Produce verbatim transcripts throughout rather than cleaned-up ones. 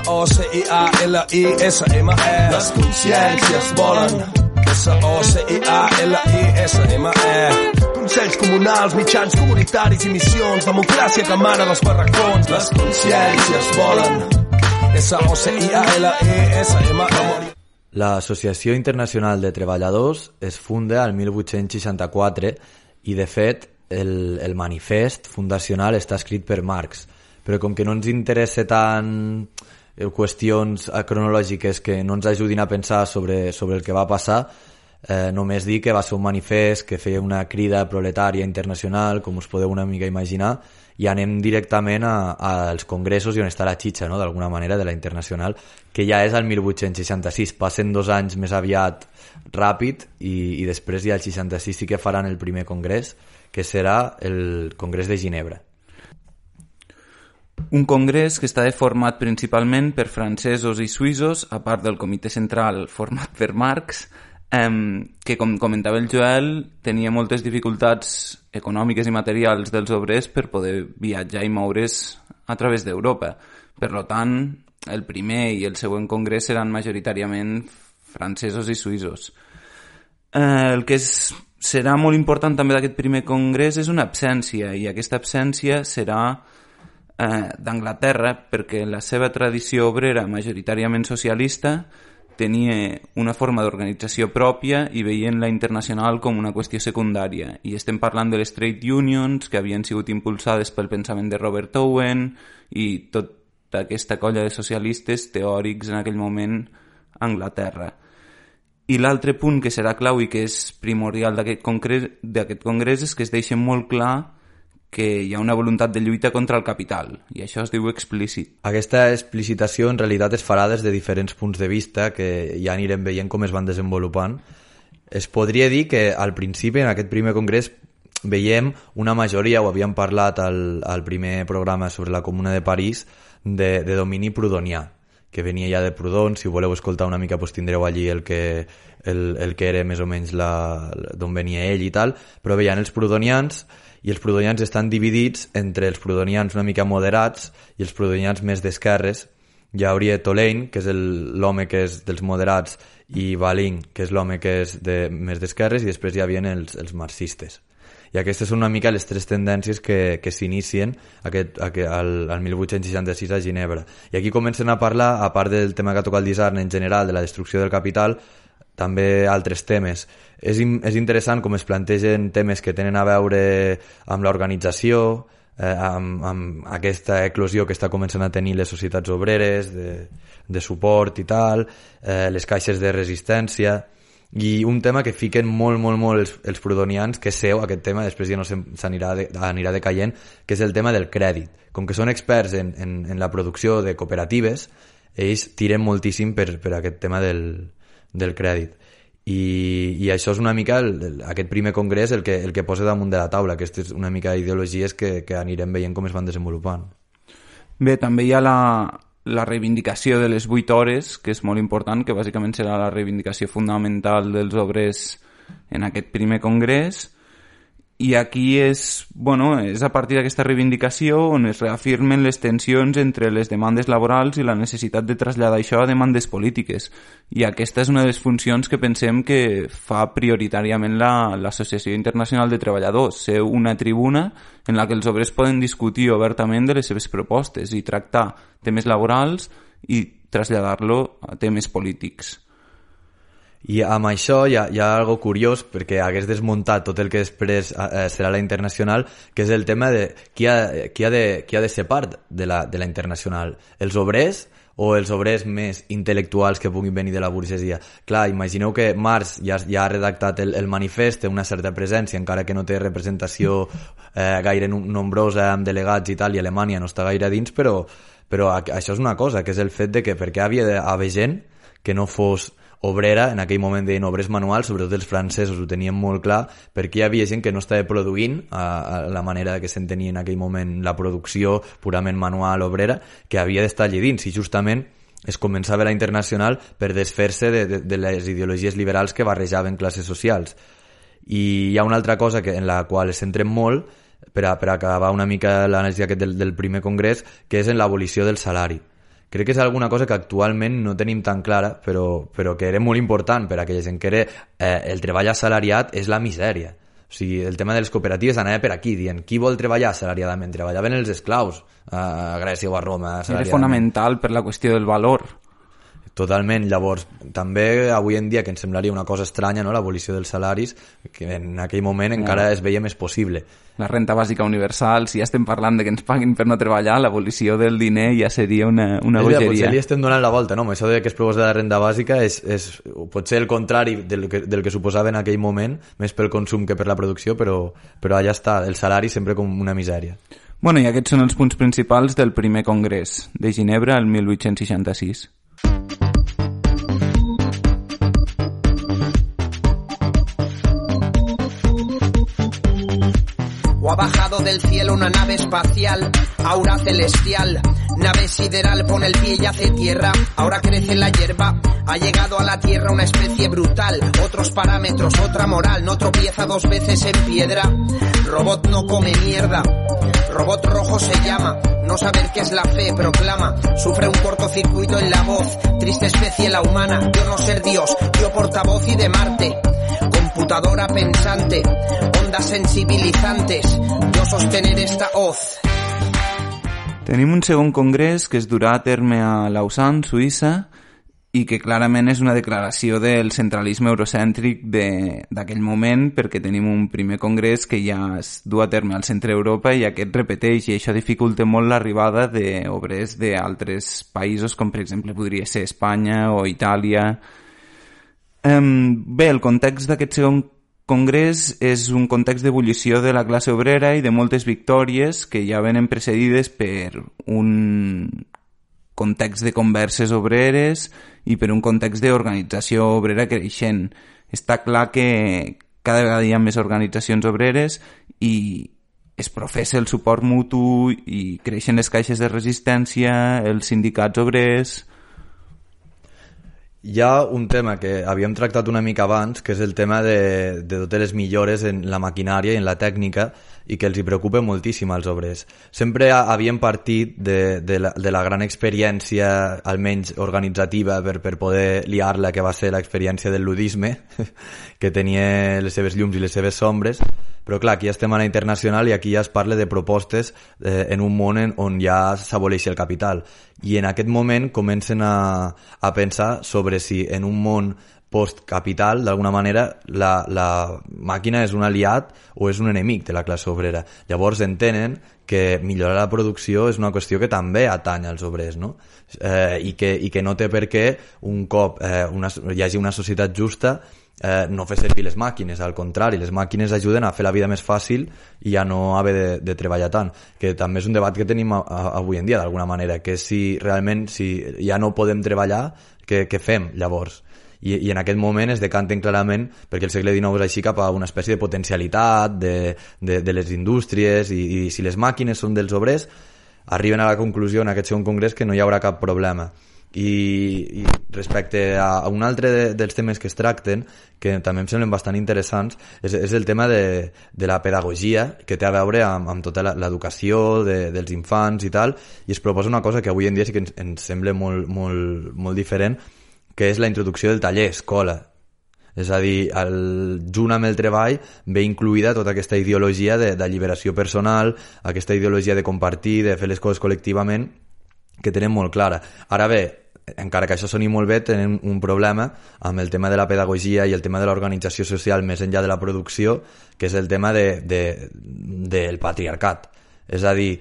O C I A L I S M E. Les consciències volen. S O C I A L I S M E. Consells comunals, mitjans comunitaris i missions, democràcia que emana dels barracons. Les consciències volen. S O C I A L I S M E. L'Associació Internacional de Treballadors es funda al mil vuit-cents seixanta-quatre i, de fet, el, el manifest fundacional està escrit per Marx. Però com que no ens interessa tant qüestions cronològiques que no ens ajudin a pensar sobre, sobre el que va passar, eh, només dir que va ser un manifest que feia una crida proletària internacional, com us podeu una mica imaginar, i anem directament a, als congressos i on està la xitxa, no?, d'alguna manera, de la internacional, que ja és el mil vuit-cents seixanta-sis. Passen dos anys més aviat ràpid i, i després ja el seixanta-sis sí que faran el primer congrés, que serà el Congrés de Ginebra. Un congrés que està format principalment per francesos i suïssos, a part del comitè central format per Marx, eh, que, com comentava el Joel, tenia moltes dificultats econòmiques i materials dels obrers per poder viatjar i moure's a través d'Europa. Per tant, el primer i el següent congrés seran majoritàriament francesos i suïssos. Eh, el que és, serà molt important també d'aquest primer congrés és una absència, i aquesta absència serà eh, d'Anglaterra, perquè la seva tradició obrera majoritàriament socialista tenia una forma d'organització pròpia i veien la internacional com una qüestió secundària. I estem parlant de les trade unions, que havien sigut impulsades pel pensament de Robert Owen i tota aquesta colla de socialistes teòrics en aquell moment a Anglaterra. I l'altre punt que serà clau i que és primordial d'aquest congrés, d'aquest congrés és que es deixa molt clar que hi ha una voluntat de lluita contra el capital, i això es diu explícit. Aquesta explicitació en realitat es farà des de diferents punts de vista que ja anirem veient com es van desenvolupant. Es podria dir que al principi, en aquest primer congrés, veiem una majoria, ho havíem parlat al, al primer programa sobre la Comuna de París, de, de domini prudonià, que venia ja de Proudhon. Si ho voleu escoltar una mica, doncs tindreu allí el que, el, el que era més o menys d'on venia ell i tal, però veien els proudhonians, i els proudhonians estan dividits entre els proudhonians una mica moderats i els proudhonians més d'esquerres. Hi hauria Tolaine, que és l'home que és dels moderats, i Baling, que és l'home que és de, més d'esquerres, i després hi havia els, els marxistes. I aquestes són una mica les tres tendències que, que s'inicien aquest, aquest, al, al mil vuit-cents seixanta-sis a Ginebra. I aquí comencen a parlar, a part del tema que toca el Disarn en general, de la destrucció del capital, també altres temes. És, és interessant com es plantegen temes que tenen a veure amb l'organització, eh, amb, amb aquesta eclosió que està començant a tenir les societats obreres, de, de suport i tal, eh, les caixes de resistència, i un tema que fiquen molt, molt, molt els, els proudhonians, que és seu, aquest tema, després ja no s'anirà de, anirà decaient, que és el tema del crèdit. Com que són experts en, en, en la producció de cooperatives, ells tiren moltíssim per, per aquest tema del del crèdit. I, i això és una mica el, el, aquest primer congrés el que, el que posa damunt de la taula. Aquestes una mica ideologies que, que anirem veient com es van desenvolupant. Bé, també hi ha la, la reivindicació de les vuit hores, que és molt important, que bàsicament serà la reivindicació fundamental dels obrers en aquest primer congrés. I aquí és, bueno, és a partir d'aquesta reivindicació on es reafirmen les tensions entre les demandes laborals i la necessitat de traslladar això a demandes polítiques. I aquesta és una de les funcions que pensem que fa prioritàriament la, l'Associació Internacional de Treballadors, ser una tribuna en la que els obrers poden discutir obertament de les seves propostes i tractar temes laborals i traslladar-lo a temes polítics. I amb això hi ha, hi ha algo curiós, perquè hagués desmuntat tot el que després eh, serà la internacional, que és el tema de qui ha, qui ha, de, qui ha de ser part de la, de la internacional. Els obrers o els obrers més intel·lectuals que puguin venir de la burgesia? Clar, imagineu que Marx ja, ja ha redactat el, el manifest, té una certa presència, encara que no té representació eh, gaire nombrosa amb delegats i tal, i Alemanya no està gaire dins, però, però això és una cosa, que és el fet de que perquè havia d'haver gent que no fos obrera, en aquell moment deien obrers manuals, sobretot els francesos ho tenien molt clar, perquè hi havia gent que no estava produint a, a la manera que s'entenia en aquell moment la producció purament manual obrera, que havia d'estar allà dins, i justament es començava la internacional per desfer-se de, de, de les ideologies liberals que barrejaven classes socials. I hi ha una altra cosa que, en la qual es centrem molt, per, a, per acabar una mica l'anàlisi aquest del, del primer congrés, que és en l'abolició del salari, crec que és alguna cosa que actualment no tenim tan clara, però, però que era molt important per a aquella gent, que era eh, el treball assalariat és la misèria. O sigui, el tema de les cooperatives anava per aquí, dient qui vol treballar assalariadament? Treballaven els esclaus a Grècia o a Roma assalariadament. Era fonamental per la qüestió del valor. Totalment. Llavors, també avui en dia, que ens semblaria una cosa estranya, no?, l'abolició dels salaris, que en aquell moment no. encara es veia més possible. La renta bàsica universal, si ja estem parlant de que ens paguin per no treballar, l'abolició del diner ja seria una, una bogeria. Potser li estem donant la volta, no? Això de que es proposa la renta bàsica és, és potser el contrari del que, del que suposava en aquell moment, més pel consum que per la producció, però, però allà està, el salari sempre com una misèria. Bueno, i aquests són els punts principals del primer congrés de Ginebra el mil vuit-cents seixanta-sis. O ha bajado del cielo una nave espacial, aura celestial, nave sideral, pone el pie y hace tierra, ahora crece la hierba, ha llegado a la tierra una especie brutal, otros parámetros, otra moral, no tropieza dos veces en piedra, robot no come mierda, robot rojo se llama, no saber qué es la fe, proclama, sufre un cortocircuito en la voz, triste especie la humana, yo no ser Dios, yo portavoz y de Marte, computadora pensante, ondas sensibilizantes, yo sostener esta hoz. Tenim un segon congrés que es durà a terme a Lausanne, Suïssa, i que clarament és una declaració del centralisme eurocèntric d'aquell moment, perquè tenim un primer congrés que ja es du a terme al centre d'Europa i aquest repeteix, i això dificulta molt l'arribada d'obrers d'altres països, com per exemple podria ser Espanya o Itàlia. Bé, el context d'aquest segon congrés és un context d'ebullició de la classe obrera i de moltes victòries que ja venen precedides per un context de converses obreres i per un context d'organització obrera creixent. Està clar que cada vegada hi ha més organitzacions obreres i es professa el suport mutu i creixen les caixes de resistència, els sindicats obrers. Hi ha un tema que havíem tractat una mica abans, que és el tema de, de totes les millores en la maquinària i en la tècnica i que els hi preocupa moltíssim als obrers. Sempre havíem partit de, de, la, de la gran experiència, almenys organitzativa, per, per poder liar-la, que va ser l'experiència del ludisme, que tenia les seves llums i les seves sombres, però clar, aquí estem a la internacional i aquí ja es parla de propostes eh, en un món en, on ja s'aboleix el capital. I en aquest moment comencen a, a pensar sobre si en un món postcapital, d'alguna manera, la, la màquina és un aliat o és un enemic de la classe obrera. Llavors entenen que millorar la producció és una qüestió que també atanya als obrers, no? Eh, i, que, i que no té per què un cop eh, una, hi hagi una societat justa eh, no fer servir les màquines, al contrari, les màquines ajuden a fer la vida més fàcil i a no haver de, de treballar tant, que també és un debat que tenim a, a, avui en dia d'alguna manera, que si realment si ja no podem treballar, què, què fem llavors? I, i en aquest moment es decanten clarament perquè el segle dinou és així cap a una espècie de potencialitat de, de, de les indústries i, i si les màquines són dels obrers arriben a la conclusió en aquest segon congrés que no hi haurà cap problema. I, i respecte a, a un altre de, dels temes que es tracten, que també em semblen bastant interessants, és, és el tema de, de la pedagogia, que té a veure amb, amb tota l'educació de, dels infants i tal, i es proposa una cosa que avui en dia sí que ens, ens sembla molt, molt, molt diferent, que és la introducció del taller escola. És a dir, el, junt amb el treball ve incluïda tota aquesta ideologia de, de lliberació personal, aquesta ideologia de compartir, de fer les coses col·lectivament, que tenen molt clara. Ara bé, encara que això soni molt bé, tenen un problema amb el tema de la pedagogia i el tema de l'organització social més enllà de la producció, que és el tema de, de, del patriarcat. És a dir,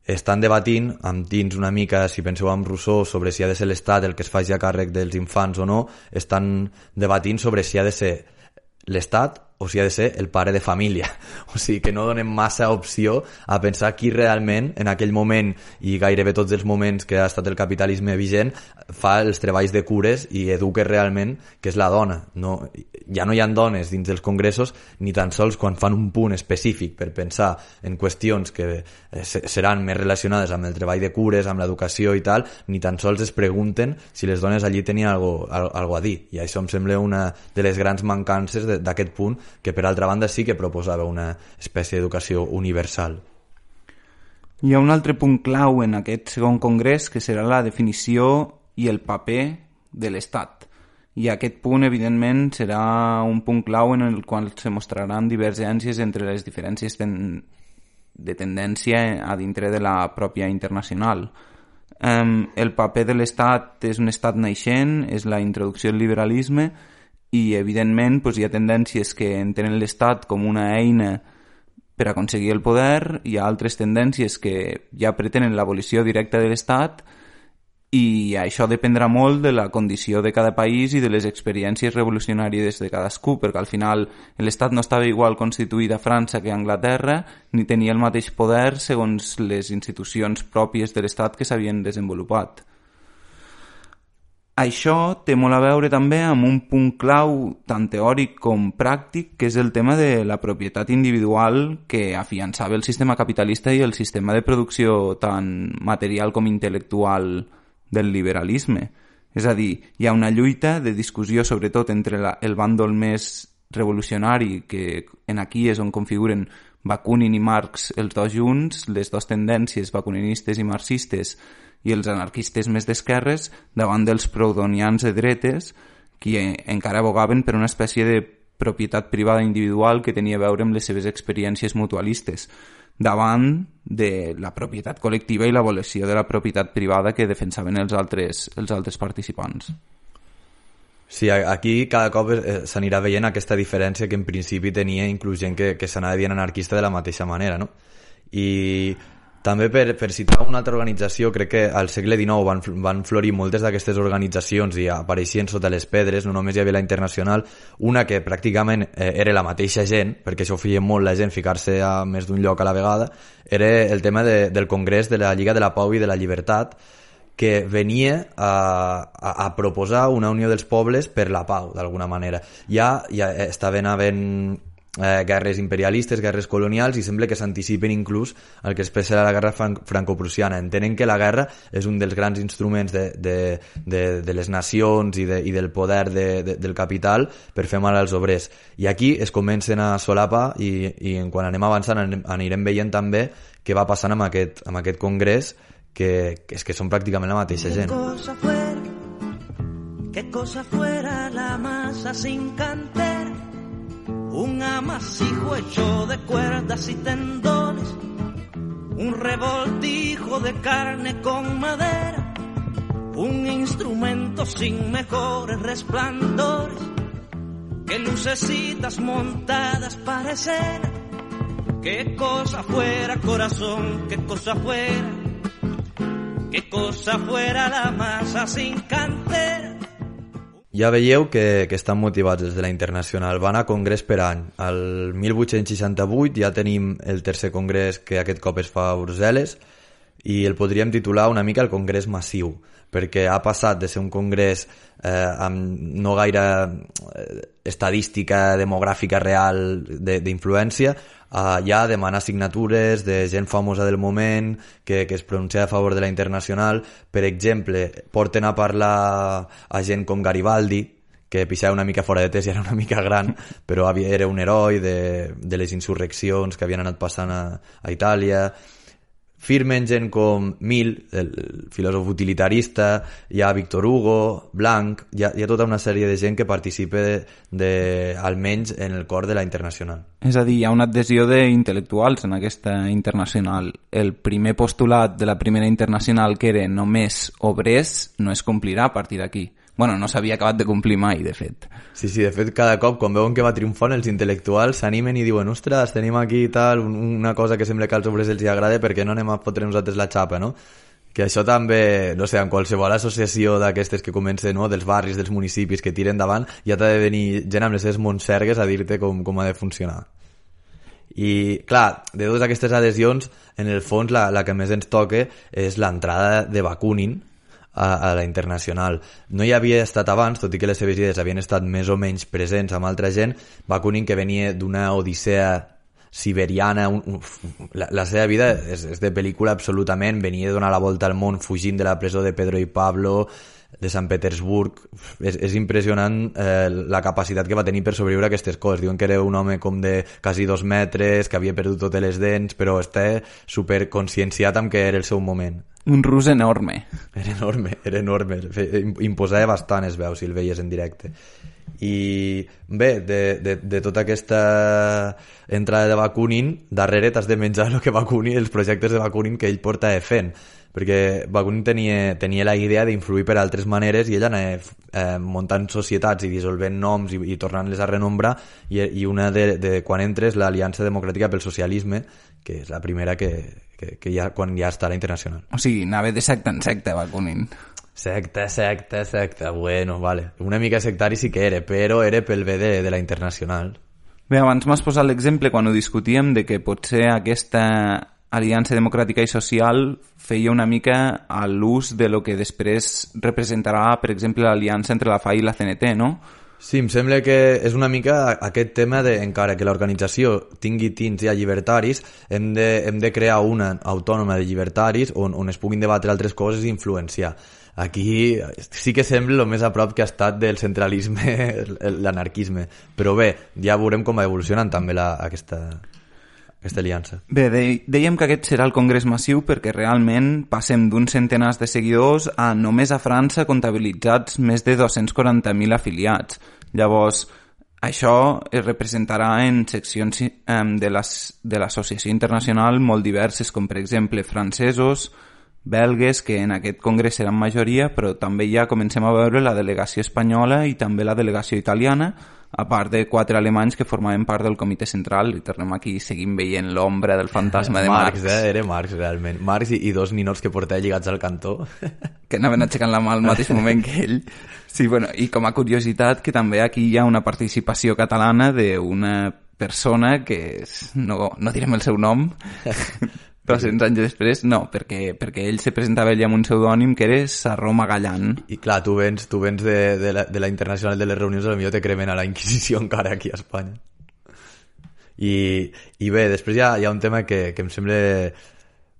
estan debatint amb dins una mica, si penseu en Rousseau, sobre si ha de ser l'Estat el que es faci a càrrec dels infants o no, estan debatint sobre si ha de ser l'Estat o si ha de ser el pare de família. O sigui que no donem massa opció a pensar qui realment en aquell moment i gairebé tots els moments que ha estat el capitalisme vigent fa els treballs de cures i educa realment que és la dona. No, ja no hi ha dones dins dels congressos ni tan sols quan fan un punt específic per pensar en qüestions que seran més relacionades amb el treball de cures, amb l'educació i tal, ni tan sols es pregunten si les dones allí tenien algo, algo a dir. I això em sembla una de les grans mancances d'aquest punt, que per altra banda sí que proposava una espècie d'educació universal. Hi ha un altre punt clau en aquest segon congrés, que serà la definició i el paper de l'Estat. I aquest punt, evidentment, serà un punt clau en el qual se mostraran divergències entre les diferències ten... de tendència a dintre de la pròpia internacional. Um, el paper de l'Estat és un estat naixent, és la introducció del liberalisme, i, evidentment, doncs, hi ha tendències que entenen l'Estat com una eina per aconseguir el poder, hi ha altres tendències que ja pretenen l'abolició directa de l'Estat, i això dependrà molt de la condició de cada país i de les experiències revolucionàries de cadascú, perquè al final l'Estat no estava igual constituït a França que a Anglaterra, ni tenia el mateix poder segons les institucions pròpies de l'Estat que s'havien desenvolupat. Això té molt a veure també amb un punt clau tant teòric com pràctic, que és el tema de la propietat individual que afiançava el sistema capitalista i el sistema de producció tant material com intel·lectual del liberalisme. És a dir, hi ha una lluita de discussió sobretot entre la, el bàndol més revolucionari, que en aquí és on configuren Bakunin i Marx els dos junts, les dues tendències bakuninistes i marxistes, i els anarquistes més d'esquerres davant dels proudhonians de dretes, que encara abogaven per una espècie de propietat privada individual que tenia a veure amb les seves experiències mutualistes, davant de la propietat col·lectiva i l'abolició de la propietat privada que defensaven els altres, els altres participants. Sí, aquí cada cop s'anirà veient aquesta diferència que en principi tenia inclús gent que, que s'anava dient anarquista de la mateixa manera, no? I també per, per citar una altra organització, crec que al segle dinou van, van florir moltes d'aquestes organitzacions i apareixien sota les pedres, no només hi havia la Internacional, una que pràcticament eh, era la mateixa gent, perquè això ho feia molt la gent, ficar-se a més d'un lloc a la vegada, era el tema de, del Congrés de la Lliga de la Pau i de la Llibertat, que venia a, a, a proposar una unió dels pobles per la pau, d'alguna manera. Ja, ja estaven havent Eh, guerres imperialistes, guerres colonials, i sembla que s'anticipen inclús el que després serà la guerra fran franco-prussiana. Entenen que la guerra és un dels grans instruments de, de, de, de les nacions i, de, i del poder de, de, del capital per fer mal als obrers. I aquí es comencen a solapar i, i quan anem avançant anirem veient també què va passant amb aquest, amb aquest congrés, que, que és que són pràcticament la mateixa gent. Cosa fuera, que cosa fuera la masa sin cantera, un amasijo hecho de cuerdas y tendones, un revoltijo de carne con madera, un instrumento sin mejores resplandores, que lucecitas montadas para escena. Qué cosa fuera, corazón, qué cosa fuera, qué cosa fuera la masa sin cantera. Ja veieu que, que estan motivats des de la Internacional. Van a congrés per any. El mil vuit-cents seixanta-vuit ja tenim el tercer congrés, que aquest cop es fa a Brussel·les, i el podríem titular una mica el congrés massiu, perquè ha passat de ser un congrés eh, amb no gaire eh, estadística demogràfica real d'influència, a ja demanar signatures de gent famosa del moment que, que es pronuncia a favor de la Internacional. Per exemple, porten a parlar a gent com Garibaldi, que pixava una mica fora de temps i era una mica gran, però era un heroi de, de les insurreccions que havien anat passant a, a Itàlia. Firmen gent com Mill, el filòsof utilitarista, hi ha Victor Hugo, Blanc, hi ha, hi ha tota una sèrie de gent que participa de, de, almenys en el cor de la Internacional. És a dir, hi ha una adhesió d'intel·lectuals en aquesta Internacional. El primer postulat de la primera Internacional, que era només obrers, no es complirà a partir d'aquí. Bueno, no s'havia acabat de complir mai, de fet. Sí, sí, de fet, cada cop, quan veuen que va triomfant, els intel·lectuals s'animen i diuen, ostres, tenim aquí tal, una cosa que sembla que als obrers els hi agrada, perquè no anem a fotre nosaltres la xapa, no? Que això també, no sé, en qualsevol associació d'aquestes que comencen, no?, dels barris, dels municipis que tiren davant, ja t'ha de venir gent amb les seves montsergues a dir-te com, com ha de funcionar. I, clar, de totes aquestes adhesions, en el fons, la, la que més ens toca és l'entrada de Bakunin a, a la Internacional. No hi havia estat abans, tot i que les seves idees havien estat més o menys presents amb altra gent. Bakunin, que venia d'una odissea siberiana, un, un, la, la seva vida és, és de pel·lícula absolutament, venia de donar la volta al món fugint de la presó de Pedro i Pablo, de Sant Petersburg, és, és impressionant eh, la capacitat que va tenir per sobreviure a aquestes coses. Diuen que era un home com de quasi dos metres, que havia perdut totes les dents, però està superconscienciat amb que era el seu moment. Un rus enorme. Era enorme, era enorme. Imposava bastant, es veu, si el veies en directe. I bé, de, de, de tota aquesta entrada de Bakunin, darrere t'has de menjar el que Bakunin, els projectes de Bakunin que ell porta fent, perquè Bakunin tenia, tenia la idea d'influir per altres maneres i ell anava eh, muntant societats i dissolvent noms i, i tornant-les a renombrar, i, i una de, de quan entres l'Aliança Democràtica pel Socialisme, que és la primera que, que, que ja, quan ja està a la internacional. O sigui, anava de secta en secta Bakunin. Secta, secta, secta, bueno, vale. Una mica sectari sí que era, però era pel bé de, de la internacional. Bé, abans m'has posat l'exemple quan ho discutíem de que potser aquesta Aliança Democràtica i Social feia una mica a l'ús de lo que després representarà, per exemple, l'aliança entre la F A I i la C N T, no? Sí, em sembla que és una mica aquest tema de, encara que l'organització tingui tints ja llibertaris, hem de, hem de crear una autònoma de llibertaris on, on es puguin debatre altres coses i influenciar. Aquí sí que sembla el més a prop que ha estat del centralisme, l'anarquisme. Però bé, ja veurem com va evolucionant també la, aquesta, aquesta aliança. Bé, de, dèiem que aquest serà el congrés massiu perquè realment passem d'uns centenars de seguidors a només a França comptabilitzats més de dos-cents quaranta mil afiliats. Llavors, això es representarà en seccions eh, de l'associació internacional molt diverses, com per exemple francesos, belgues, que en aquest congrés seran majoria, però també ja comencem a veure la delegació espanyola i també la delegació italiana, a part de quatre alemanys que formaven part del comitè central, i tornem aquí i seguim veient l'ombra del fantasma de Marx. Marx, eh? Era Marx, realment. Marx i, i dos ninots que portava lligats al cantó. Que anaven aixecant la mà al mateix moment que ell. Sí, bueno, i com a curiositat, que també aquí hi ha una participació catalana d'una persona que és, no, no direm el seu nom, dos-cents anys després, no, perquè, perquè ell se presentava ell amb un pseudònim que era Sarró Magallán. I clar, tu vens, tu vens de, de, la, de la internacional de les reunions, potser te cremen a la Inquisició encara aquí a Espanya. I, i bé, després hi ha, hi ha un tema que, que em sembla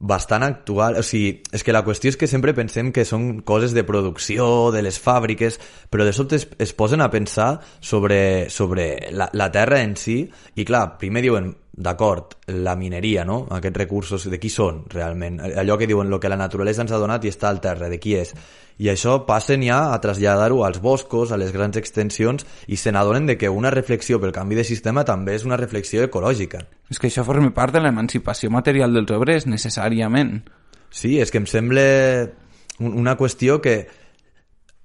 bastant actual, o sigui, és que la qüestió és que sempre pensem que són coses de producció, de les fàbriques, però de sobte es, es posen a pensar sobre, sobre la, la terra en si, i clar, primer diuen, d'acord, la mineria, no? Aquests recursos, de qui són realment? Allò que diuen, el que la naturalesa ens ha donat i està al terra, de qui és? I això passen ja a traslladar-ho als boscos, a les grans extensions, i se n'adonen de que una reflexió pel canvi de sistema també és una reflexió ecològica. És que això forma part de l'emancipació material dels obrers, necessàriament. Sí, és que em sembla una qüestió que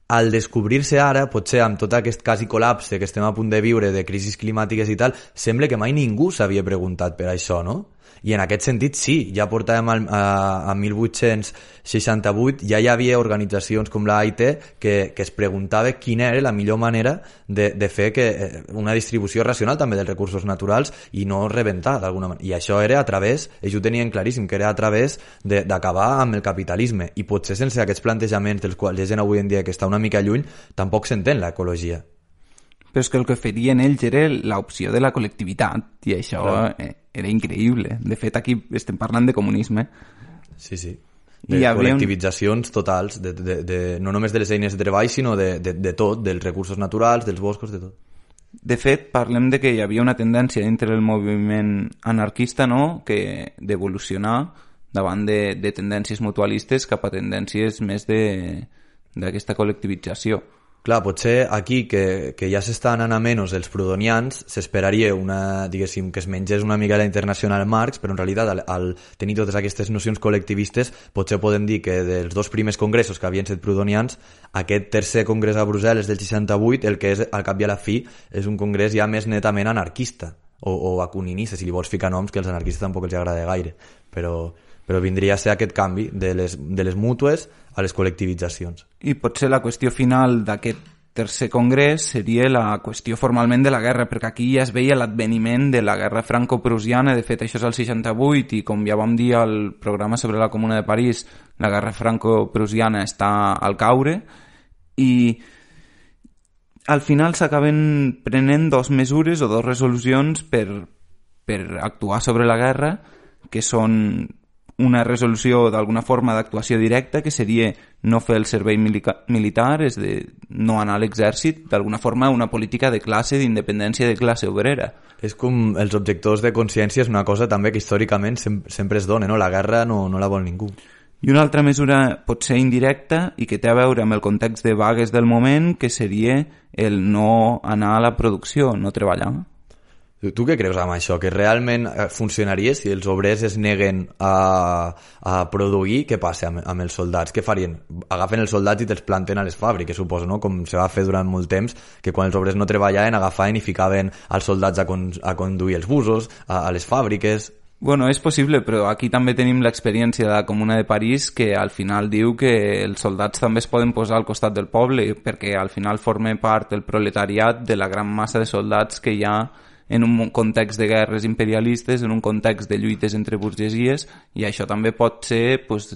al descobrir-se ara, potser amb tot aquest quasi col·lapse que estem a punt de viure, de crisis climàtiques i tal, sembla que mai ningú s'havia preguntat per això, no? I en aquest sentit sí, ja portàvem al, a, a mil vuit-cents seixanta-vuit, ja hi havia organitzacions com l'A I T que, que es preguntava quina era la millor manera de, de fer que una distribució racional també dels recursos naturals i no rebentar d'alguna manera. I això era a través, ells ho tenien claríssim, que era a través d'acabar amb el capitalisme. I potser sense aquests plantejaments dels quals hi ha gent avui en dia que està una mica lluny, tampoc s'entén l'ecologia. Però és que el que ferien ells era l'opció de la col·lectivitat, i això eh, era increïble. De fet, aquí estem parlant de comunisme. Sí, sí. De col·lectivitzacions un... totals, de, de, de, no només de les eines de treball, sinó de, de, de tot, dels recursos naturals, dels boscos, de tot. De fet, parlem de que hi havia una tendència dintre del moviment anarquista, no?, que d'evolucionar davant de, de tendències mutualistes cap a tendències més d'aquesta col·lectivització. Clar, potser aquí, que, que ja s'estan anant a menys els prudonians, s'esperaria una, diguéssim, que es mengés una mica la internacional Marx, però en realitat, al, al tenir totes aquestes nocions col·lectivistes, potser podem dir que dels dos primers congressos que havien set prudonians, aquest tercer congrés a Brussel·les del seixanta-vuit, el que és, al cap i a la fi, és un congrés ja més netament anarquista, o, o bakuninista, si li vols ficar noms, que als anarquistes tampoc els agrada gaire, però... però vindria a ser aquest canvi de les, de les mútues a les col·lectivitzacions. I potser la qüestió final d'aquest tercer congrés seria la qüestió formalment de la guerra, perquè aquí ja es veia l'adveniment de la guerra franco-prusiana. De fet, això és el seixanta-vuit, i com ja vam dir al programa sobre la Comuna de París, la guerra franco-prusiana està al caure, i al final s'acaben prenent dos mesures o dos resolucions per, per actuar sobre la guerra, que són una resolució d'alguna forma d'actuació directa, que seria no fer el servei milica- militar, és de no anar a l'exèrcit, d'alguna forma una política de classe, d'independència de classe obrera. És com els objectors de consciència, és una cosa també que històricament sem sempre es dona, no? La guerra no, no la vol ningú. I una altra mesura pot ser indirecta i que té a veure amb el context de vagues del moment, que seria el no anar a la producció, no treballar. Tu, tu què creus amb això? Que realment funcionaria si els obrers es neguen a, a produir? Què passa amb, amb els soldats? Què farien? Agafen els soldats i te'ls planten a les fàbriques, suposo, no? Com se va fer durant molt temps, que quan els obrers no treballaven agafaven i ficaven els soldats a, con, a conduir els busos, a, a les fàbriques. Bueno, és possible, però aquí també tenim l'experiència de la Comuna de París, que al final diu que els soldats també es poden posar al costat del poble, perquè al final forma part del proletariat, de la gran massa de soldats que hi ha en un context de guerres imperialistes, en un context de lluites entre burgesies, i això també pot ser pues,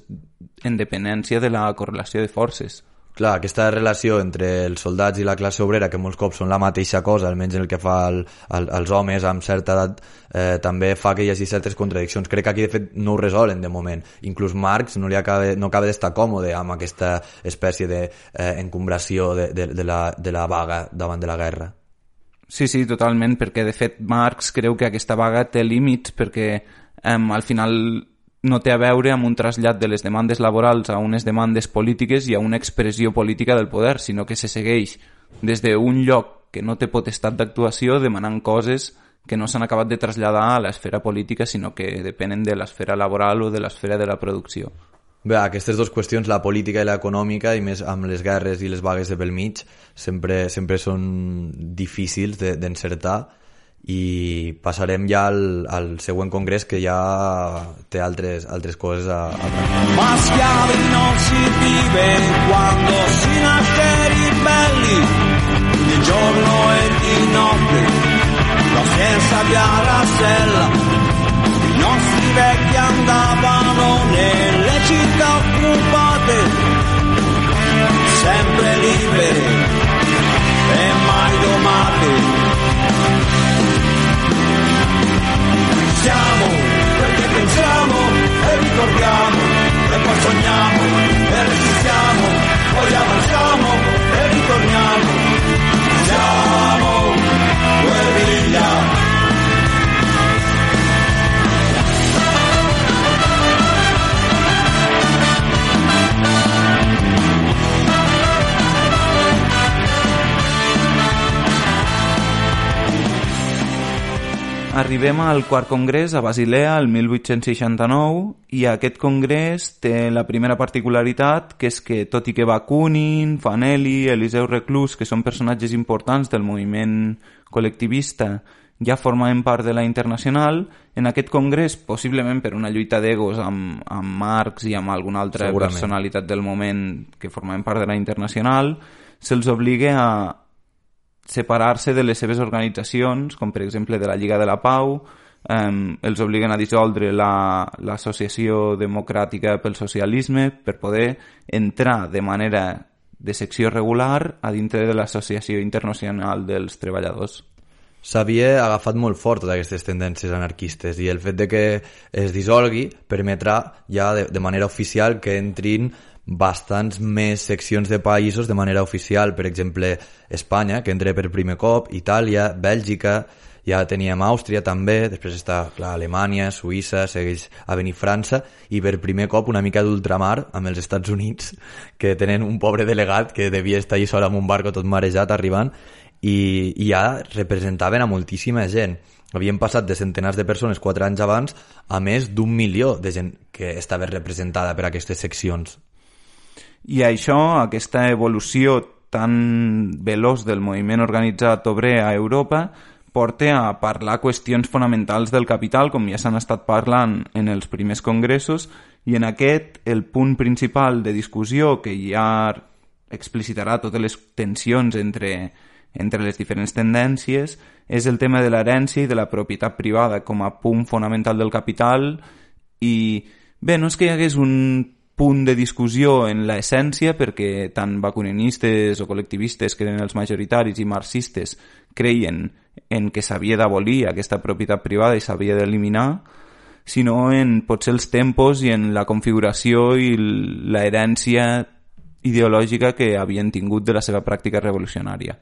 en dependència de la correlació de forces. Clar, aquesta relació entre els soldats i la classe obrera, que molts cops són la mateixa cosa, almenys en el que fa el, el, els homes amb certa edat, eh, també fa que hi hagi certes contradiccions. Crec que aquí, de fet, no ho resolen de moment. Inclús Marx no, li acaba, no acaba d'estar còmode amb aquesta espècie d'encombració de, eh, de, de, la, de la vaga davant de la guerra. Sí, sí, totalment, perquè de fet Marx creu que aquesta vaga té límits, perquè eh, al final no té a veure amb un trasllat de les demandes laborals a unes demandes polítiques i a una expressió política del poder, sinó que se segueix des d'un lloc que no té potestat d'actuació demanant coses que no s'han acabat de traslladar a l'esfera política, sinó que depenen de l'esfera laboral o de l'esfera de la producció. Bé, aquestes dues qüestions, la política i l'econòmica, i més amb les guerres i les vagues de pel mig, sempre, sempre són difícils d'encertar, i passarem ja al, al següent congrés, que ja té altres, altres coses a, a tractar. Ma schiavi non si vive quando si nasce ribelli, di giorno e di notte, lo senza via la sella. I nostri vecchi andavano nelle città occupate, sempre libere e mai domate. Siamo perché pensiamo e ricordiamo, e poi sogniamo e resistiamo, poi avanziamo e ritorniamo. Siamo guerriglia. Arribem al quart congrés a Basilea el mil vuit-cents seixanta-nou, i aquest congrés té la primera particularitat, que és que tot i que Bakunin, Fanelli, Eliseu Reclus, que són personatges importants del moviment col·lectivista, ja formaven part de la Internacional, en aquest congrés, possiblement per una lluita d'egos amb, amb Marx i amb alguna altra personalitat del moment que formaven part de la Internacional, se'ls obliga a separar-se de les seves organitzacions, com per exemple de la Lliga de la Pau, eh, els obliguen a dissoldre l'Associació Democràtica pel Socialisme per poder entrar de manera de secció regular a dintre de l'Associació Internacional dels Treballadors. S'havia agafat molt fort totes aquestes tendències anarquistes, i el fet de que es dissolgui permetrà ja de, de manera oficial que entrin bastants més seccions de països de manera oficial, per exemple Espanya, que entra per primer cop, Itàlia, Bèlgica, ja teníem Àustria també, després està clar, Alemanya, Suïssa, segueix a venir França, i per primer cop una mica d'ultramar amb els Estats Units, que tenen un pobre delegat que devia estar allà sol amb un barco tot marejat arribant, i, i ja representaven a moltíssima gent. Havien passat de centenars de persones quatre anys abans a més d'un milió de gent que estava representada per aquestes seccions. I això, aquesta evolució tan veloç del moviment organitzat obrer a Europa, porta a parlar qüestions fonamentals del capital, com ja s'han estat parlant en els primers congressos, i en aquest el punt principal de discussió, que ja explicitarà totes les tensions entre, entre les diferents tendències, és el tema de l'herència i de la propietat privada com a punt fonamental del capital. I bé, no és que hi hagués un punt de discussió en l'essència, perquè tant bakuninistes o col·lectivistes, que eren els majoritaris, i marxistes creien en que s'havia d'abolir aquesta propietat privada i s'havia d'eliminar, sinó en potser els tempos i en la configuració i l'herència ideològica que havien tingut de la seva pràctica revolucionària.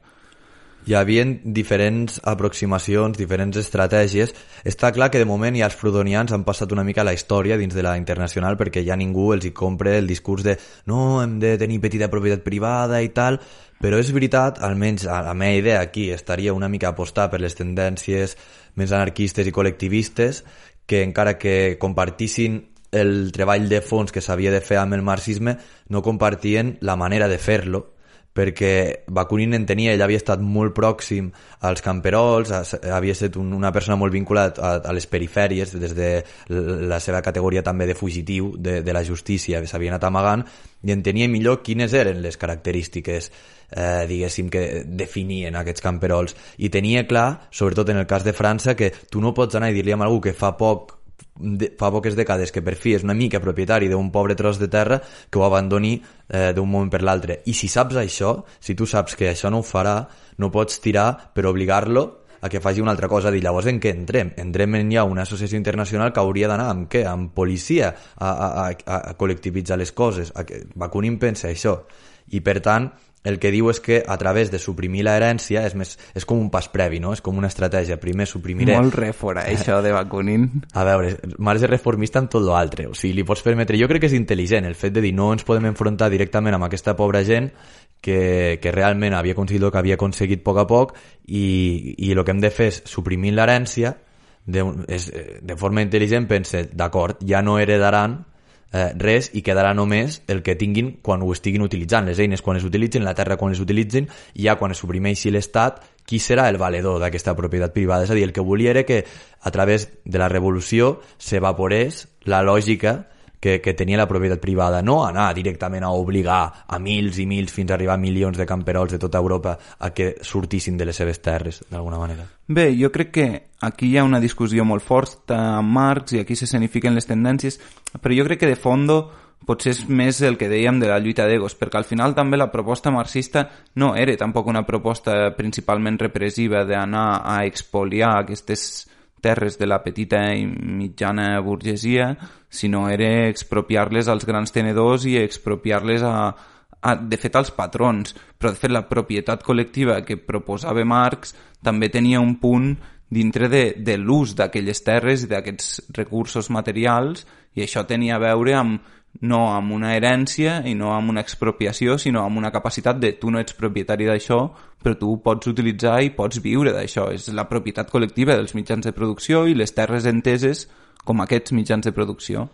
Hi havia diferents aproximacions, diferents estratègies. Està clar que de moment ja els proudhonians han passat una mica la història dins de la internacional perquè ja ningú els hi compra el discurs de no, hem de tenir petita propietat privada i tal, però és veritat, almenys a la meva idea aquí estaria una mica apostar per les tendències més anarquistes i col·lectivistes, que encara que compartissin el treball de fons que s'havia de fer amb el marxisme, no compartien la manera de fer-lo, perquè Bakunin entenia, ell havia estat molt pròxim als camperols, havia estat una persona molt vinculada a, a les perifèries, des de la seva categoria també de fugitiu de, de la justícia, s'havia anat amagant, i entenia millor quines eren les característiques eh, diguéssim que definien aquests camperols, i tenia clar, sobretot en el cas de França, que tu no pots anar i dir-li a algú que fa poc De, fa poques dècades que per fi és una mica propietari d'un pobre tros de terra que ho abandoni eh, d'un moment per l'altre. I si saps això, si tu saps que això no ho farà, no pots tirar per obligar-lo a que faci una altra cosa. Dir, llavors en què entrem? Entrem en ja una associació internacional que hauria d'anar amb què? Amb policia a, a, a, a col·lectivitzar les coses. A que Bakunin pensa això. I per tant, el que diu és que a través de suprimir l'herència és, més, és com un pas previ, no? És com una estratègia. Primer suprimiré... Molt rèfora, això de Bakunin. A veure, marge reformista amb tot l'altre. O sigui, li pots permetre... Jo crec que és intel·ligent el fet de dir no ens podem enfrontar directament amb aquesta pobra gent que, que realment havia aconseguit el que havia aconseguit a poc a poc i, i el que hem de fer és suprimir l'herència de, és, de forma intel·ligent, pense, d'acord, ja no heredaran Eh, res i quedarà només el que tinguin quan ho estiguin utilitzant, les eines quan es utilitzin, la terra quan es utilitzin, i ja quan es suprimeixi l'Estat, qui serà el valedor d'aquesta propietat privada? És a dir, el que volia era que a través de la revolució s'evaporés la lògica que, que tenia la propietat privada, no anar directament a obligar a mils i mils fins a arribar a milions de camperols de tota Europa a que sortissin de les seves terres, d'alguna manera. Bé, jo crec que aquí hi ha una discussió molt forta amb Marx i aquí s'escenifiquen les tendències, però jo crec que de fondo potser és més el que dèiem de la lluita d'egos, perquè al final també la proposta marxista no era tampoc una proposta principalment repressiva d'anar a expoliar aquestes terres de la petita i mitjana burgesia, sinó era expropiar-les als grans tenedors i expropiar-les a, a, de fet als patrons. Però de fet la propietat col·lectiva que proposava Marx també tenia un punt dintre de, de l'ús d'aquelles terres i d'aquests recursos materials, i això tenia a veure amb no amb una herència i no amb una expropiació, sinó amb una capacitat de tu no ets propietari d'això, però tu pots utilitzar i pots viure d'això. És la propietat col·lectiva dels mitjans de producció i les terres enteses com aquests mitjans de producció.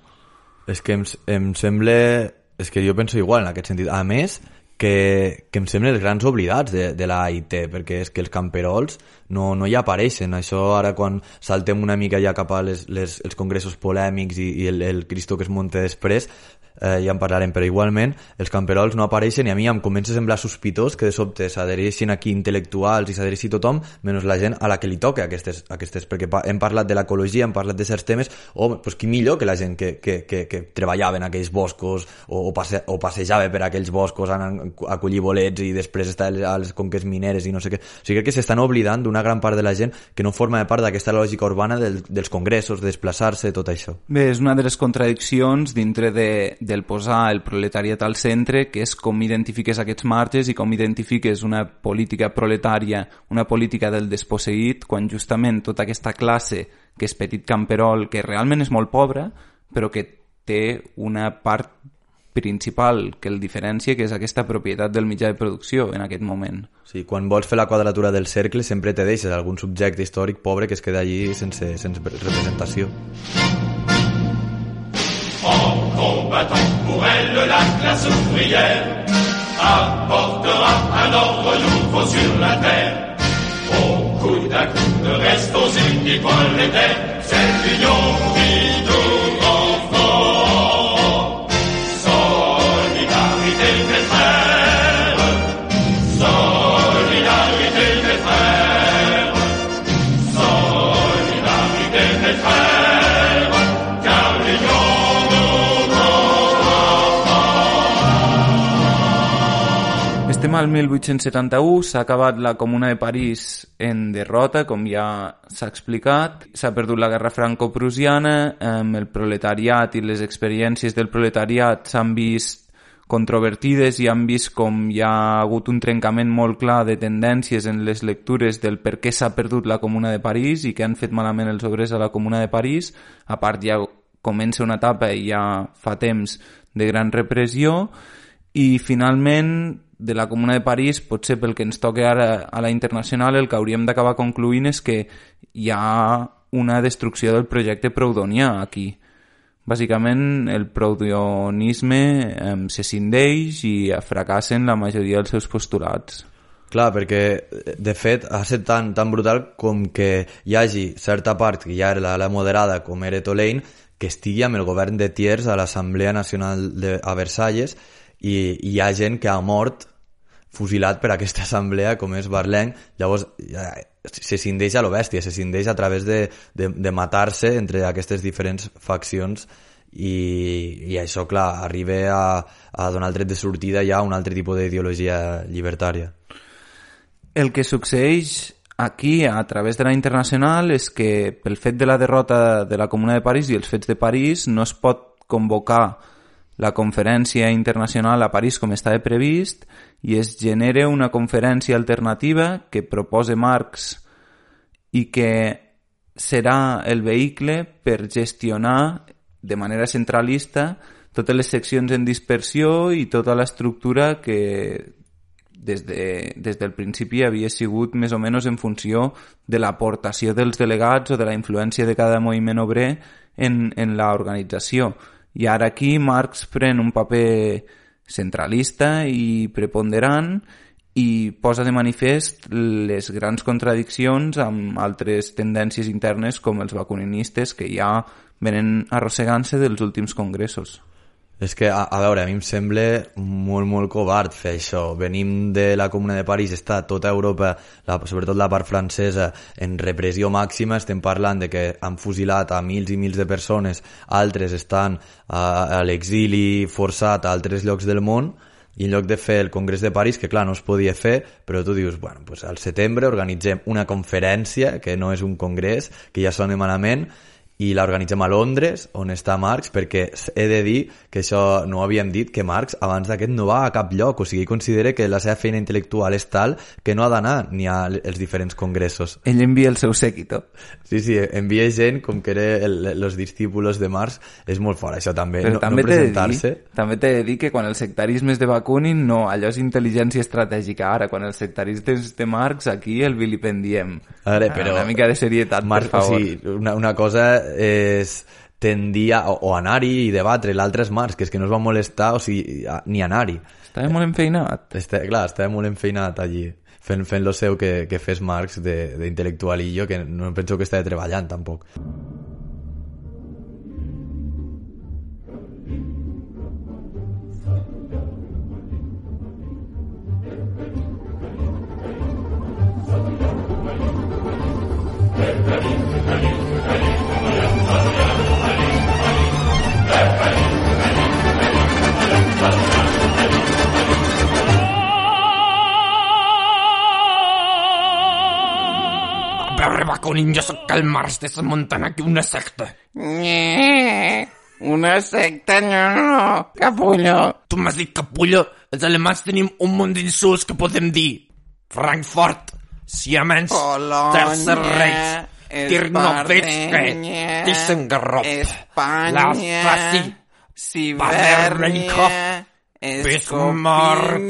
És que em, em sembla... És que jo penso igual en aquest sentit. A més, que, que em semblen els grans oblidats de, de la A I T, perquè és que els camperols no, no hi apareixen. Això ara quan saltem una mica ja cap a les, les, els congressos polèmics i, i el, el Cristo que es munta després, eh, ja en parlarem, però igualment els camperols no apareixen i a mi em comença a semblar sospitós que de sobte s'adhereixin aquí intel·lectuals i s'adhereixi tothom, menys la gent a la que li toca aquestes, aquestes perquè hem parlat de l'ecologia, hem parlat de certs temes, o oh, pues, qui millor que la gent que, que, que, que treballava en aquells boscos o, o, passe, o passejava per aquells boscos anant a collir bolets i després estar a les conques mineres i no sé què. O sigui, crec que s'estan oblidant d'una gran part de la gent que no forma part d'aquesta lògica urbana del, dels congressos, de desplaçar-se, tot això. Bé, és una de les contradiccions dintre de, del posar el proletariat al centre, que és com identifiques aquests marges i com identifiques una política proletària, una política del desposseït, quan justament tota aquesta classe que és petit camperol, que realment és molt pobra, però que té una part principal que el diferencia, que és aquesta propietat del mitjà de producció en aquest moment. Sí, quan vols fer la quadratura del cercle sempre te deixes algun subjecte històric pobre que es queda allí sense, sense representació. En combattant pour elle, la classe ouvrière apportera un ordre nouveau sur la terre. Au coup d'un coup de reste aux équipes prolétaires, c'est l'union qui nous rend forts. Solidarité des frères, solidarité des frères, solidarité des frères, car l'union Estem al mil vuit-cents setanta-u, s'ha acabat la Comuna de París en derrota, com ja s'ha explicat. S'ha perdut la guerra franco-prussiana, el proletariat i les experiències del proletariat s'han vist controvertides i han vist com hi ha hagut un trencament molt clar de tendències en les lectures del per què s'ha perdut la Comuna de París i què han fet malament els obrers a la Comuna de París. A part, ja comença una etapa i ja fa temps de gran repressió. I finalment, de la Comuna de París, potser pel que ens toca ara a la internacional, el que hauríem d'acabar concluint és que hi ha una destrucció del projecte proudhonià aquí. Bàsicament, el proudhonisme eh, se cindeix i fracassen la majoria dels seus postulats. Clar, perquè, de fet, ha estat tan, tan brutal com que hi hagi certa part, que ja era la, la moderada, com era Tolaine, que estigui amb el govern de Thiers a l'Assemblea Nacional de, a Versalles, i hi ha gent que ha mort fusilat per aquesta assemblea, com és Barleng. Llavors ja, se cindeix a lo bèstia, se cindeix a través de, de, de matar-se entre aquestes diferents faccions i, i això, clar, arriba a, a donar el tret de sortida ja a un altre tipus d'ideologia llibertària. El que succeeix aquí a través de la internacional és que pel fet de la derrota de la Comuna de París i els fets de París no es pot convocar la conferència internacional a París com estava previst i es genera una conferència alternativa que proposa Marx i que serà el vehicle per gestionar de manera centralista totes les seccions en dispersió i tota l'estructura que des, de, des del principi havia sigut més o menys en funció de l'aportació dels delegats o de la influència de cada moviment obrer en, en l'organització. I ara aquí Marx pren un paper centralista i preponderant i posa de manifest les grans contradiccions amb altres tendències internes com els bakunistes que ja venen arrossegant-se dels últims congressos. És que, a, a veure, a mi em sembla molt, molt covard fer això. Venim de la Comuna de París, està tota Europa, la, sobretot la part francesa, en repressió màxima. Estem parlant de que han fusilat a mils i mils de persones, altres estan a, a l'exili forçat a altres llocs del món, i en lloc de fer el Congrés de París, que clar, no es podia fer, però tu dius, bueno, pues al setembre organitzem una conferència, que no és un congrés, que ja sona malament, i l'organitzem a Londres, on està Marx, perquè he de dir que això no ho havíem dit, que Marx abans d'aquest no va a cap lloc, o sigui, considera que la seva feina intel·lectual és tal que no ha d'anar ni als diferents congressos. Ell envia el seu séquito. Sí, sí, envia gent com que era els discípulos de Marx. És molt fort, això també, però no, també no presentar-se. Dir, també t'he de dir que quan el sectarisme és de Bakunin, no, allò és intel·ligència estratègica. Ara, quan el sectarisme és de Marx, aquí el vilipendiem. Ara, però... Una mica de serietat, Marx, per favor. O sigui, una, una cosa és tendir a, o, o anar-hi i debatre, l'altre és Marx, que és que no es va molestar, o sigui, a, ni anar-hi. Estava molt enfeinat. Està, clar, estava molt enfeinat allí, fent, fent lo seu que, que fes Marx d'intel·lectualillo, que no penso que estava treballant tampoc. Bakunin, jo sóc el Marx, desmuntant aquí una secta. Nye, una secta, no, no, capullo. Tu m'has dit capullo? Els alemans tenim un munt d'insults que podem dir. Frankfurt, Siemens, Tercer Reich, Tirnovetske, Tissengerop, Lasfasi, Sibernia, Bismarck.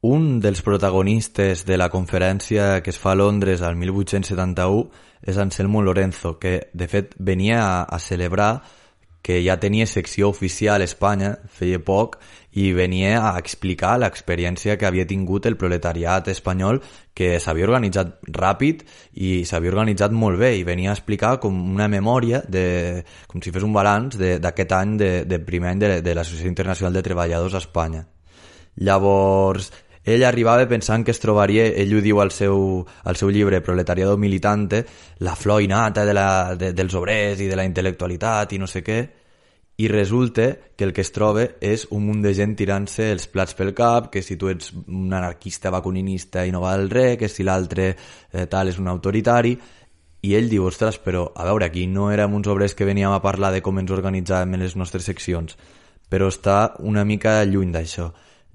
Un dels protagonistes de la conferència que es fa a Londres al mil vuit-cents setanta-u és Anselmo Lorenzo, que de fet venia a, a celebrar que ja tenia secció oficial a Espanya, feia poc, i venia a explicar l'experiència que havia tingut el proletariat espanyol, que s'havia organitzat ràpid i s'havia organitzat molt bé, i venia a explicar com una memòria, de, com si fes un balanç d'aquest any, de, de primer any de, de l'Associació Internacional de Treballadors a Espanya. Llavors, ell arribava pensant que es trobaria, ell ho diu al seu, al seu llibre Proletariado Militante, la flor innata de la, de, dels obrers i de la intel·lectualitat i no sé què, i resulta que el que es troba és un munt de gent tirant-se els plats pel cap, que si tu ets un anarquista vacuninista i no val res, que si l'altre eh, tal és un autoritari, i ell diu, ostres, però a veure, aquí no érem uns obrers que veníem a parlar de com ens organitzàvem en les nostres seccions, però està una mica lluny d'això.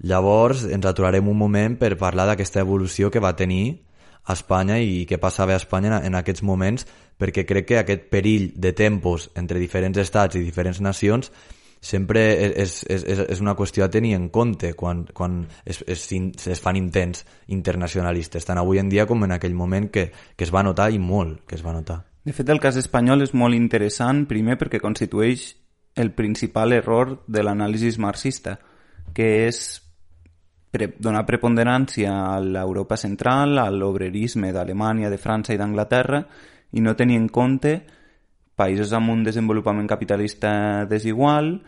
Llavors ens aturarem un moment per parlar d'aquesta evolució que va tenir a Espanya i què passava a Espanya en aquests moments, perquè crec que aquest perill de tempos entre diferents estats i diferents nacions sempre és, és, és, és una qüestió a tenir en compte quan, quan es, es, es fan intents internacionalistes, tant avui en dia com en aquell moment que, que es va notar i molt que es va notar. De fet, el cas espanyol és molt interessant, primer perquè constitueix el principal error de l'anàlisi marxista, que és pre donar preponderància a l'Europa central, a l'obrerisme d'Alemanya, de França i d'Anglaterra, i no tenir en compte països amb un desenvolupament capitalista desigual,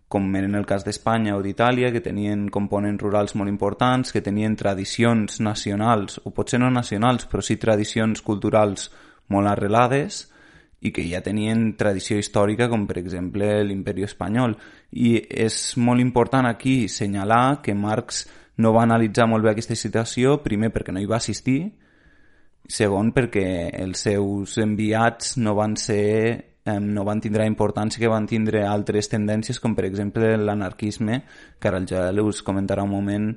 com en el cas d'Espanya o d'Itàlia, que tenien components rurals molt importants, que tenien tradicions nacionals, o potser no nacionals, però sí tradicions culturals molt arrelades, i que ja tenien tradició històrica, com per exemple l'Imperi Espanyol. I és molt important aquí assenyalar que Marx no va analitzar molt bé aquesta situació, primer perquè no hi va assistir, segon perquè els seus enviats no van ser, eh, no van tindre importància que van tindre altres tendències, com per exemple l'anarquisme, que ara el Joel us comentarà un moment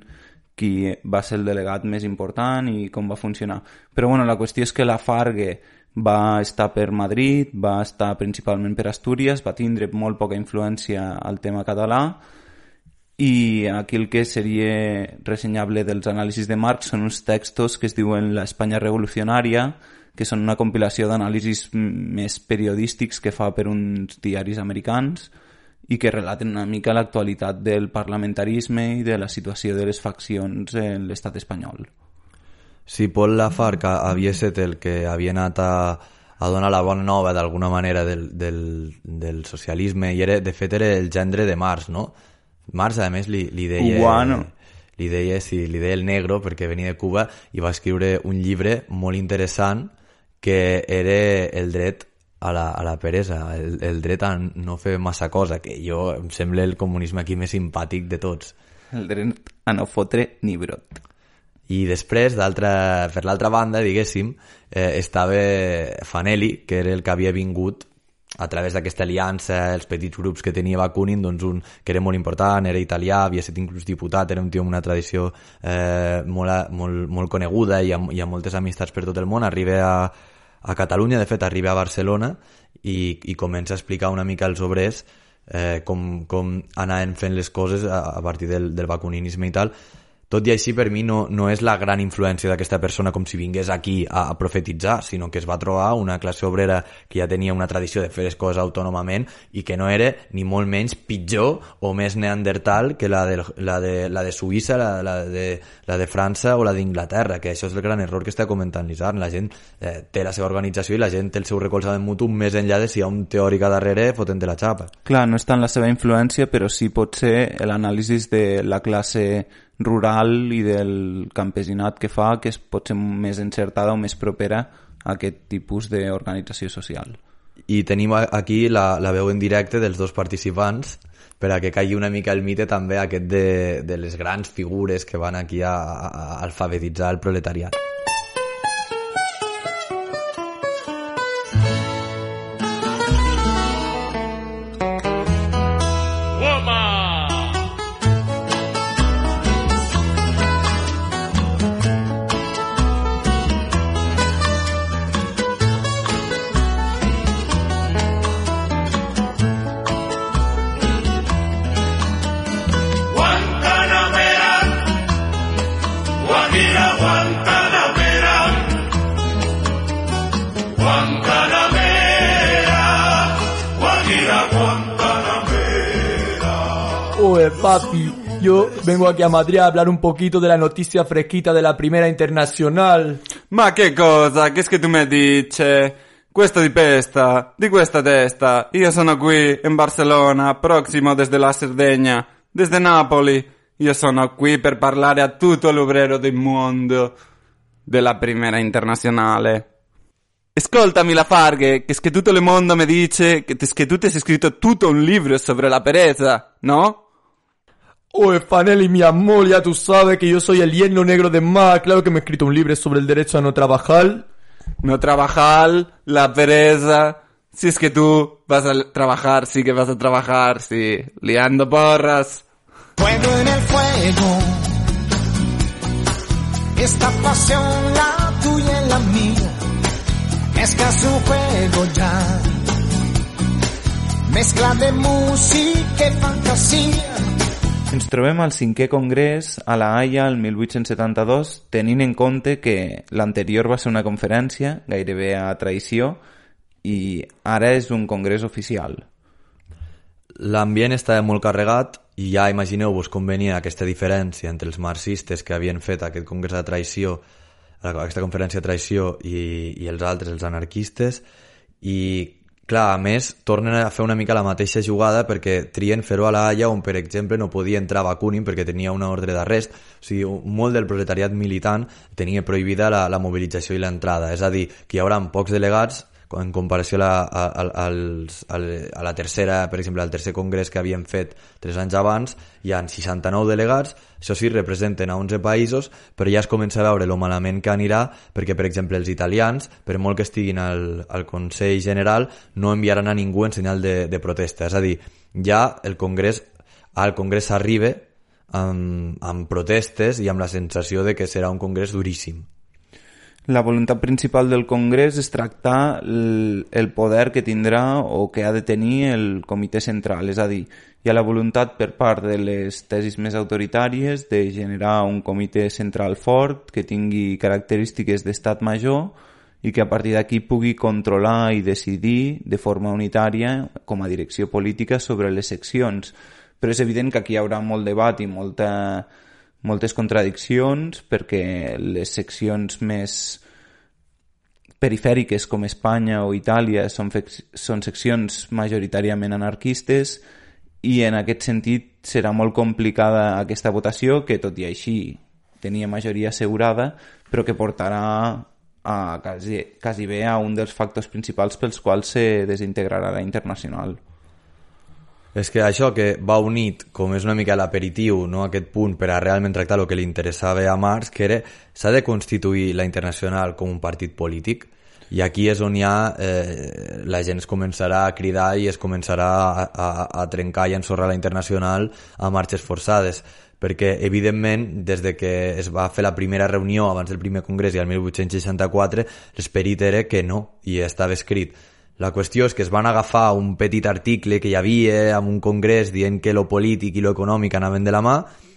qui va ser el delegat més important i com va funcionar. Però bueno, la qüestió és que la Fargue va estar per Madrid, va estar principalment per Astúries, va tindre molt poca influència al tema català, i aquí el que seria ressenyable dels anàlisis de Marx són uns textos que es diuen La Espanya revolucionària, que són una compilació d'anàlisis més periodístics que fa per uns diaris americans i que relaten una mica l'actualitat del parlamentarisme i de la situació de les faccions en l'estat espanyol. Sí, Paul Lafargue havia estat el que havia anat a, a donar la bona nova d'alguna manera del, del, del socialisme i era, de fet era el gendre de Marx, no? Marx, a més, li, li deia... Cubano. Li deia, sí, li deia el negro perquè venia de Cuba i va escriure un llibre molt interessant que era el dret a la, a la peresa, el, el dret a no fer massa cosa, que jo em sembla el comunisme aquí més simpàtic de tots. El dret a no fotre ni brot. I després, per l'altra banda, diguéssim, eh, estava Fanelli, que era el que havia vingut a través d'aquesta aliança, els petits grups que tenia Bakunin, doncs un que era molt important, era italià, havia estat inclús diputat, era un tio amb una tradició eh, molt, molt, molt coneguda i amb, i amb moltes amistats per tot el món. Arriba a, a Catalunya, de fet, arriba a Barcelona i, i comença a explicar una mica als obrers eh, com, com anaven fent les coses a, a partir del, del bakuninisme i tal. Tot i així, per mi, no, no és la gran influència d'aquesta persona com si vingués aquí a, a profetitzar, sinó que es va trobar una classe obrera que ja tenia una tradició de fer les coses autònomament i que no era ni molt menys pitjor o més neandertal que la de, la de, la de Suïssa, la, la, de, la de França o la d'Inglaterra, que això és el gran error que està comentant l'Isarn. La gent eh, té la seva organització i la gent té el seu recolzament mutu més enllà de si hi ha un teòric a darrere fotent-te la xapa. Clar, no és tant la seva influència, però sí pot ser l'anàlisi de la classe rural i del campesinat que fa, que és pot ser més encertada o més propera a aquest tipus d'organització social. I tenim aquí la, la veu en directe dels dos participants per a que caigui una mica el mite també aquest de, de les grans figures que van aquí a, a, a alfabetitzar el proletariat. Papi, yo vengo aquí a Madrid a hablar un poquito de la noticia fresquita de la Primera Internacional. Ma che cosa? Che è che tu mi dici? Questo di pesta, di questa testa. Io sono qui in Barcellona, prossimo desde la Sardegna, desde Napoli. Io sono qui per parlare a tutto l'obrero del mondo della Primera Internazionale. Ascoltami la Fargue, que es que tutto el mundo me dice que, es que tú te has escrito tutto un libro sobre la pereza, ¿no? Oye, Fanelli, mi amor, ya tú sabes que yo soy el yerno negro de Marx. Claro que me he escrito un libro sobre el derecho a no trabajar. No trabajar, la pereza. Si es que tú vas a trabajar, sí que vas a trabajar, sí. Liando porras. Fuego en el fuego. Esta pasión, la tuya y la mía. Es casi un juego ya. Mezcla de música y fantasía. Ens trobem al cinquè congrés a La Haia el mil vuit-cents setanta-dos, tenint en compte que l'anterior va ser una conferència, gairebé a traïció, i ara és un congrés oficial. L'ambient estava molt carregat i ja imagineu-vos com venia aquesta diferència entre els marxistes que havien fet aquest congrés de traïció, aquesta conferència de traïció i, i els altres, els anarquistes, i clar, a més, tornen a fer una mica la mateixa jugada perquè trien fer-ho a La Haia on, per exemple, no podia entrar Bakunin perquè tenia una ordre d'arrest. O sigui, molt del proletariat militant tenia prohibida la, la mobilització i l'entrada. És a dir, que hi haurà pocs delegats en comparació a la, a, a, als, a la tercera, per exemple, al tercer congrés que havien fet tres anys abans, hi ha seixanta-nou delegats, això sí, representen a onze països, però ja es comença a veure lo malament que anirà, perquè, per exemple, els italians, per molt que estiguin al, al Consell General, no enviaran a ningú en senyal de, de protesta. És a dir, ja el congrés, al congrés s'arriba amb, amb protestes i amb la sensació de que serà un congrés duríssim. La voluntat principal del Congrés és tractar el, el poder que tindrà o que ha de tenir el comitè central. És a dir, hi ha la voluntat per part de les tesis més autoritàries de generar un comitè central fort que tingui característiques d'estat major i que a partir d'aquí pugui controlar i decidir de forma unitària com a direcció política sobre les seccions. Però és evident que aquí hi haurà molt debat i molta... moltes contradiccions perquè les seccions més perifèriques com Espanya o Itàlia són, són seccions majoritàriament anarquistes i en aquest sentit serà molt complicada aquesta votació que tot i així tenia majoria assegurada però que portarà a quasi, quasi bé a un dels factors principals pels quals se desintegrarà la Internacional. És que això que va unit, com és una mica l'aperitiu, no, aquest punt per a realment tractar el que li interessava a Marx, que era s'ha de constituir la Internacional com un partit polític, i aquí és on ja eh, la gent es començarà a cridar i es començarà a, a, a trencar i a ensorrar la Internacional a marxes forçades, perquè evidentment des de que es va fer la primera reunió abans del primer congrés i el mil vuit-cents seixanta-quatre l'esperit era que no, i estava escrit. La qüestió és que es van agafar un petit article que hi havia en un congrés dient que lo polític i lo econòmic anaven de la mà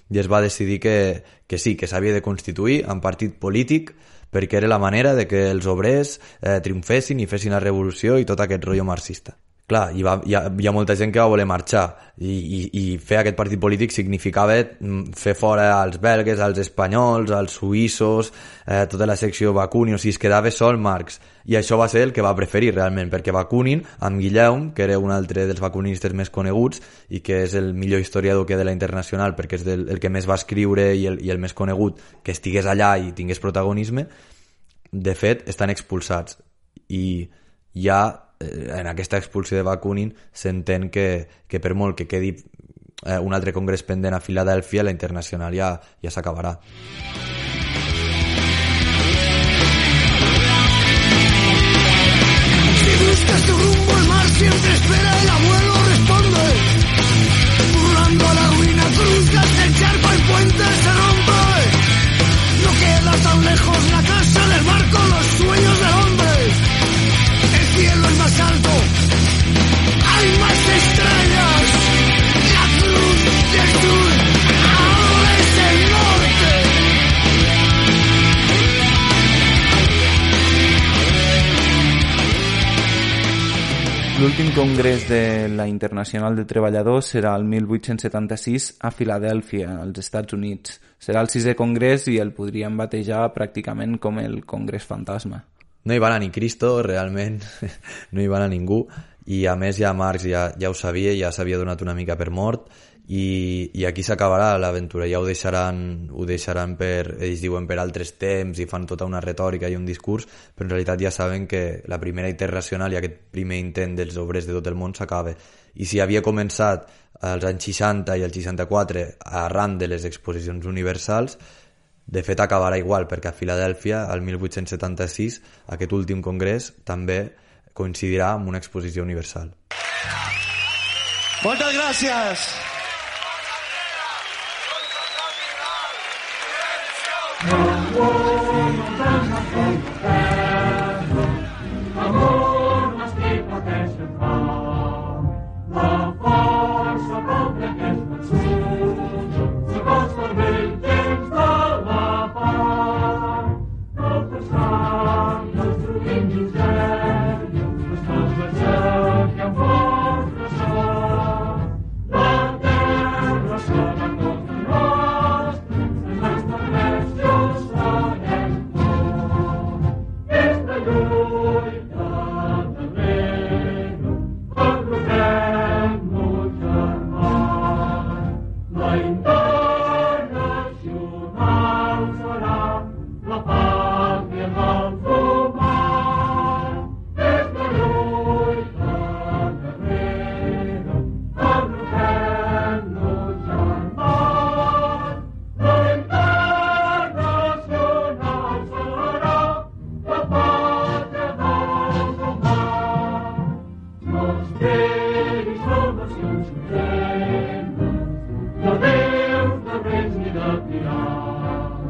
i es va decidir que, que sí, que s'havia de constituir en partit polític perquè era la manera de que els obrers eh, triomfessin i fessin la revolució i tot aquest rotllo marxista. Clar, hi, va, hi, ha, hi ha molta gent que va voler marxar i, i, i fer aquest partit polític significava fer fora als belgues, als espanyols, als suïssos, eh, tota la secció Bakunin, o sigui, es quedava sol Marx. I això va ser el que va preferir realment, perquè Bakunin, amb Guillaume, que era un altre dels bakunistes més coneguts i que és el millor historiador que hi ha de la Internacional perquè és del, el que més va escriure i el, i el més conegut, que estigués allà i tingués protagonisme, de fet, estan expulsats. I ja en aquesta expulsió de Bakunin s'entén que, que per molt que quedi eh, un altre congrés pendent a Filadèlfia, la Internacional ja, ja s'acabarà. Si buscas tu rumbo, el mar siempre espera, el abuelo responde. Burlando la ruina, cruzas el charco, el puente se rompe. No queda tan lejos la casa del barco, los sueños del hombre. El cielo es más alto, hay más estrellas, la cruz del sur, ahora es el norte. L'últim congrés de la Internacional de Treballadors serà el mil vuit-cents setanta-sis a Filadèlfia, als Estats Units. Serà el sisè congrés i el podríem batejar pràcticament com el congrés fantasma. No hi va anar ni Cristo, realment, no hi va anar ningú, i a més ja Marx ja, ja ho sabia, ja s'havia donat una mica per mort, i, i aquí s'acabarà l'aventura, ja ho deixaran, ho deixaran per, ells diuen per altres temps i fan tota una retòrica i un discurs, però en realitat ja saben que la primera internacional i aquest primer intent dels obrers de tot el món s'acaba. I si havia començat als anys seixanta i el seixanta-quatre arran de les exposicions universals, de fet acabarà igual, perquè a Filadèlfia, el mil vuit-cents setanta-sis, aquest últim congrés també coincidirà amb una exposició universal. Moltes gràcies! Amor m'estic pateixen fa, la força poble que és vençut, s'acosta el vell temps de la pau, no passant destruint misèria, les coses que han fort ressò, la terra serà tota nostra, els establerts just farem por, aquesta lluita darrere, agrupem-nos germans, la internacional serà la pàtria dels humans, aquesta lluita darrere, agrupem-nos germans, la internacional serà la pàtria dels humans. No esperis salvacions supremes, de déus, de reis ni de tirans.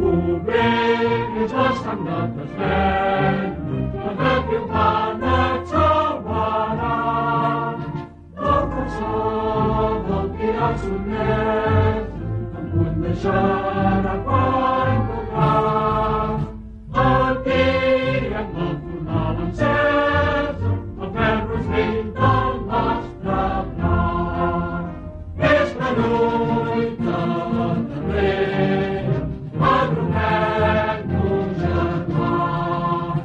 Obreris la sang de t'esvena, contra qui un pan et salvarà. El cançó del tirat sotmès, en punt deixarà quan podrà. El tirat vol tornar l'encesa, el ferro és vell del nostre braç. És la lluita darrere, agrupem-nos germans.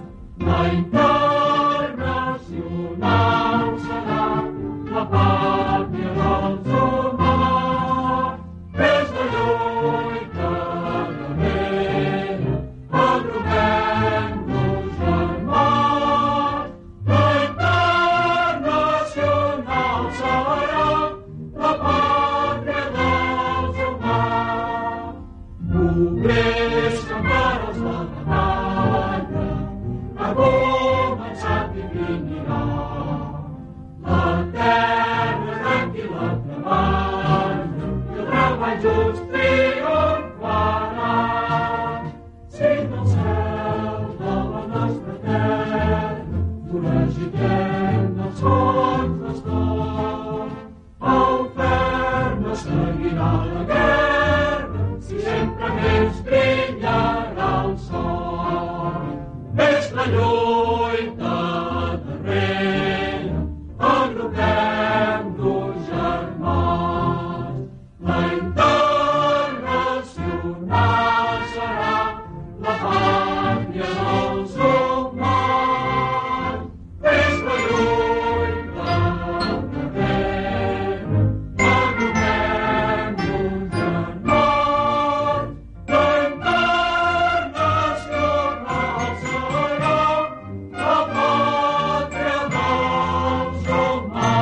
La internacional serà la pàtria dels humans. És la lluita darrere, agrupem-nos germans. La internacional serà la pàtria dels humans. Obrer